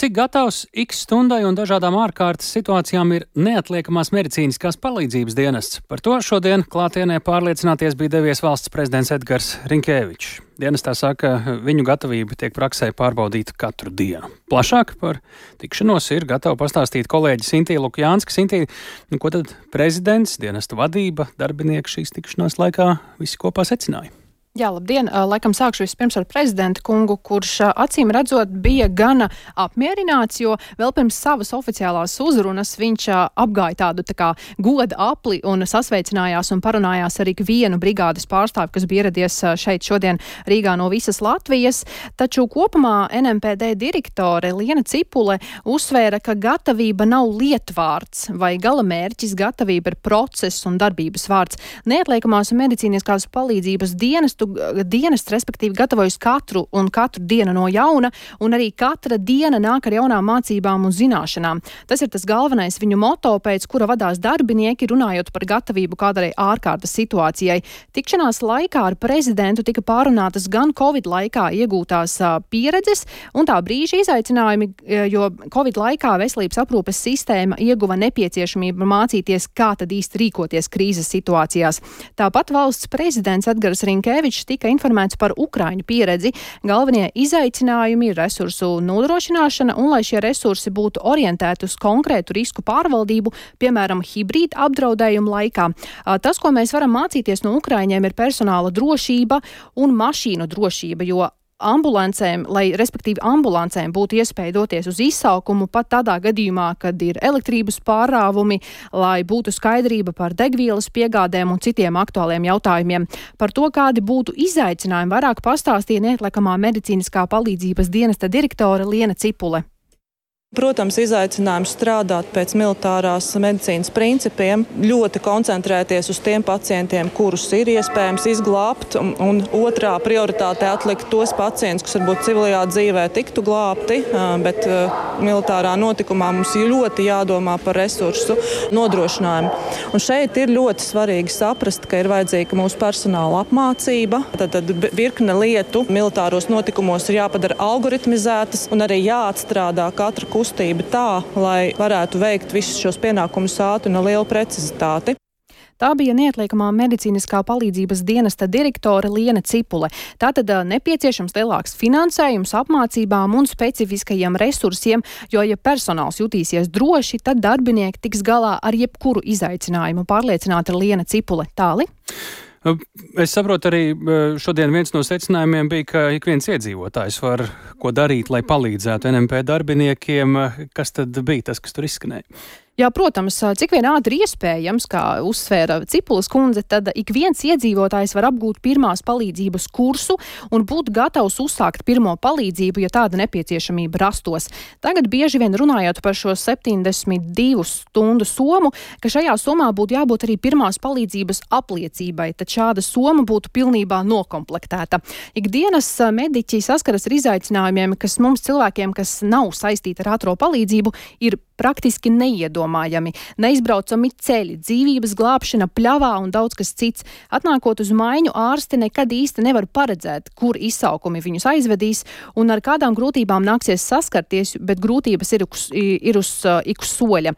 cik gatavs X stundai un dažādām ārkārtas situācijām ir neatliekamās medicīniskās palīdzības dienests? Par to šodien klātienē pārliecināties bija devies valsts prezidents Edgars Rinkēvičs. Dienestā saka, viņu gatavība tiek praksē pārbaudīta katru dienu. Plašāk par tikšanos ir gatava pastāstīt kolēģi Sintīja Lukjānska. Sintīja, ko tad prezidents, dienesta vadība, darbinieki šīs tikšanās laikā visi kopā secināja? Jā, labdien! Laikam sākšu vispirms ar prezidentu kungu, kurš acīm redzot bija gana apmierināts, jo vēl pirms savas oficiālās uzrunas viņš apgāja tādu tā kā goda apli un sasveicinājās un parunājās ar ikvienu brigādes pārstāvi, kas bija ieradies šeit šodien Rīgā no visas Latvijas. Taču kopumā NMPD direktore Liena Cipule uzsvēra, ka gatavība nav lietvārds vai galamērķis, gatavība ir process un darbības vārds. Neatliekamās medicīniskās palīdzības dienests, respektīvi, gatavojas katru dienu no jauna, un arī katra diena nāk ar jaunām mācībām un zināšanām. Tas ir tas galvenais viņu moto, pēc kura vadās darbinieki, runājot par gatavību kādai ārkārtas situācijai. Tikšanās laikā ar prezidentu tika pārunātas gan Covid laikā iegūtās pieredzes un tā brīža izaicinājumi, jo Covid laikā veselības aprūpes sistēma ieguva nepieciešamību mācīties, kā tad īsti rīkoties krīzes situācijās. Tāpat valsts prezidents Edgars Rinkēvičs tika informēts par Ukraiņu pieredzi. Galvenie izaicinājumi ir resursu nodrošināšana un lai šie resursi būtu orientēti uz konkrētu risku pārvaldību, piemēram, hibrīda apdraudējumu laikā. Tas, ko mēs varam mācīties no Ukraiņiem, ir personāla drošība un mašīnu drošība, jo ambulancēm būtu iespēja doties uz izsaukumu pat tādā gadījumā, kad ir elektrības pārāvumi, lai būtu skaidrība par degvielas piegādēm un citiem aktuāliem jautājumiem. Par to, kādi būtu izaicinājumi, vairāk pastāstīja neatliekamā medicīniskā palīdzības dienesta direktore Liena Cipule. Protams, izaicinājums strādāt pēc militārās medicīnas principiem, ļoti koncentrēties uz tiem pacientiem, kurus ir iespējams izglābt, un otrā prioritāte atlikt tos pacientus, kas varbūt civilajā dzīvē tiktu glābti, bet militārā notikumā mums ir ļoti jādomā par resursu nodrošinājumu. Un šeit ir ļoti svarīgi saprast, ka ir vajadzīga mūsu personāla apmācība, tad virkne lietu militāros notikumos ir jāpadara algoritmizētas un arī jāatstrādā katra kustība tā, lai varētu veikt visus šos pienākumus ātri un ar lielu precizitāti. Tā bija neatliekamā medicīniskā palīdzības dienesta direktore Liena Cipule. Tātad nepieciešams lielāks finansējums apmācībām un specifiskajiem resursiem, jo, ja personāls jutīsies droši, tad darbinieki tiks galā ar jebkuru izaicinājumu. Pārliecināta Liena Cipule. Tāli? Es saprotu, arī šodien viens no secinājumiem bija, ka ik viens iedzīvotājs var ko darīt, lai palīdzētu NMP darbiniekiem. Kas tad bija tas, kas tur izskanēja? Jā, protams, cik vien ātri iespējams, kā uzsvēra Cipulas kundze, tad ik viens iedzīvotājs var apgūt pirmās palīdzības kursu un būt gatavs uzsākt pirmo palīdzību, ja tāda nepieciešamība rastos. Tagad bieži vien runājot par šo 72 stundu somu, ka šajā somā būtu jābūt arī pirmās palīdzības apliecībai, tad šāda soma būtu pilnībā nokomplektēta. Ikdienas mediķi saskaras ar izaicinājumiem, kas mums cilvēkiem, kas nav saistīti ar ātro palīdzību, ir praktiski neiedomājami. Neizbraucami ceļi, dzīvības glābšana pļavā un daudz kas cits. Atnākot uz maiņu, ārsti nekad īsti nevar paredzēt, kur izsaukumi viņus aizvedīs un ar kādām grūtībām nāksies saskarties, bet grūtības ir uz soļa.